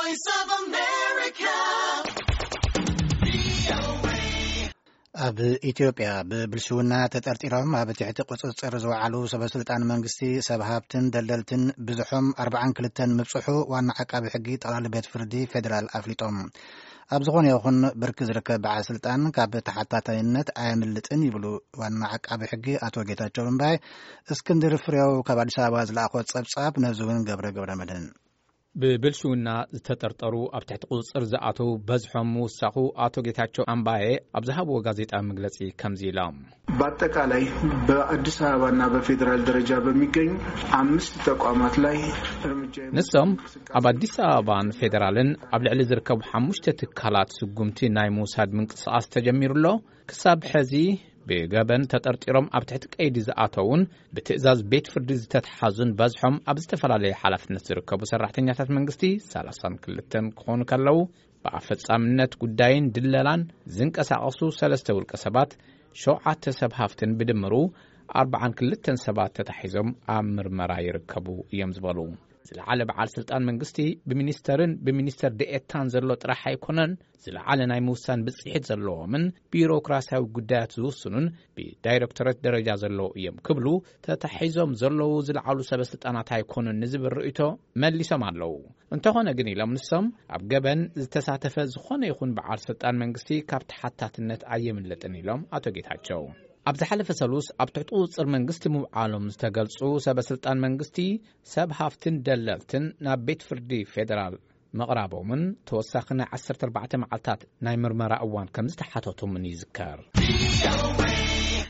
Voice of America. ኣብ ኢትዮጵያ ብብልሽውና ተጠርጢሮም ኣብ ትሕቲ ቁጽጽር ዝወዓሉ ሰበስልጣን መንግስቲ፣ ሰብ ሃብትን ደለልትን ብዝሖም ኣርባዓን ክልተን ምብጽሑ ዋና ዓቃቢ ሕጊ ጠቕላሊ ቤት ፍርዲ ፌዴራል ኣፍሊጦም። ኣብ ዝኾነ ይኹን ብርኪ ዝርከብ በዓል ስልጣን ካብ ተሓታታይነት ኣየምልጥን ይብሉ ዋና ዓቃቢ ሕጊ ኣቶ ጌታቸው እምባይ። እስክንድር ፍሬው ካብ ኣዲስ ኣበባ ዝለኣኾ ጸብጻብ ነዚ እውን ገብረ ገብረ መድህን። ብብልሽውና ዝተጠርጠሩ ኣብ ትሕቲ ቁጽጽር ዝኣተዉ በዝሖም ምውሳኹ ኣቶ ጌታቸው ኣምባዬ ኣብ ዝሃብዎ ጋዜጣዊ መግለጺ ከምዚ ኢሎም። በአጠቃላይ በአዲስ አበባና በፌዴራል ደረጃ በሚገኙ አምስት ተቋማት ላይ እርምጃ የመውሰድ ንሶም እንቅስቃሴ ኣብ ኣዲስ ኣበባን ፌዴራልን ኣብ ልዕሊ ዝርከቡ ሓሙሽተ ትካላት ስጉምቲ ናይ ምውሳድ ምንቅስቓስ ተጀሚሩ ኣሎ። ክሳብ ሕዚ ብገበን ተጠርጢሮም ኣብ ትሕቲ ቀይዲ ዝኣተዉን ብትእዛዝ ቤት ፍርዲ ዝተተሓዙን በዝሖም ኣብ ዝተፈላለየ ሓላፍነት ዝርከቡ ሰራሕተኛታት መንግስቲ ሰላሳን ክልተን ክኾኑ ከለዉ፣ ብኣፈጻምነት ጉዳይን ድለላን ዝንቀሳቐሱ ሰለስተ ውልቀ ሰባት፣ ሸውዓተ ሰብ ሃፍትን ብድምሩ ኣርባዓን ክልተን ሰባት ተታሒዞም ኣብ ምርመራ ይርከቡ እዮም ዝበሉ። ዝለዓለ በዓል ስልጣን መንግስቲ ብሚኒስተርን ብሚኒስተር ዴኤታን ዘሎ ጥራሕ ኣይኮነን፣ ዝለዓለ ናይ ምውሳን ብጽሒት ዘለዎምን ቢሮክራሲያዊ ጉዳያት ዝውስኑን ብዳይሬክቶሬት ደረጃ ዘለዉ እዮም ክብሉ፣ ተታሒዞም ዘለዉ ዝለዓሉ ሰበ ስልጣናት ኣይኮኑን ንዝብል ርእይቶ መሊሶም ኣለዉ። እንተኾነ ግን ኢሎም ንሶም፣ ኣብ ገበን ዝተሳተፈ ዝኾነ ይኹን በዓል ስልጣን መንግስቲ ካብ ተሓታትነት ኣየምልጥን ኢሎም ኣቶ ጌታቸው። ኣብ ዝሓለፈ ሰሉስ ኣብ ትሕቲ ቁጽጽር መንግስቲ ምውዓሎም ዝተገልጹ ሰበ ስልጣን መንግስቲ፣ ሰብ ሃፍትን ደለልትን ናብ ቤት ፍርዲ ፌዴራል ምቕራቦምን ተወሳኺ ናይ ዓሰርተ ኣርባዕተ መዓልታት ናይ ምርመራ እዋን ከም ዝተሓተቶምን ይዝከር።